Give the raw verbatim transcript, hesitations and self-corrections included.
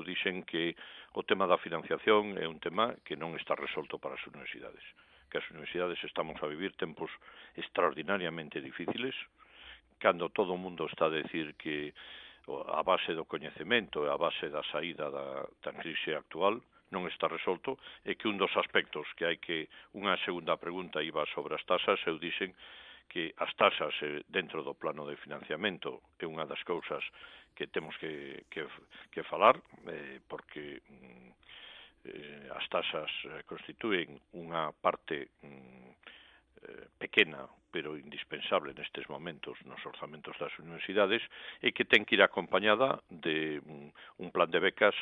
dixen que o tema da financiación é un tema que non está resolto para as universidades, que as universidades estamos a vivir tempos extraordinariamente difíciles, cando todo o mundo está a decir que a base do coñecemento e a base da saída da, da crise actual non está resolto, e que un dos aspectos que hai que, unha segunda pregunta iba sobre as tasas, eu dixen que as tasas dentro do plano de financiamento é unha das cousas que temos que, que, que falar, eh, porque eh, as tasas constituen unha parte mm, eh, pequena, pero indispensable nestes momentos nos orzamentos das universidades, e que ten que ir acompañada de un, un plan de becas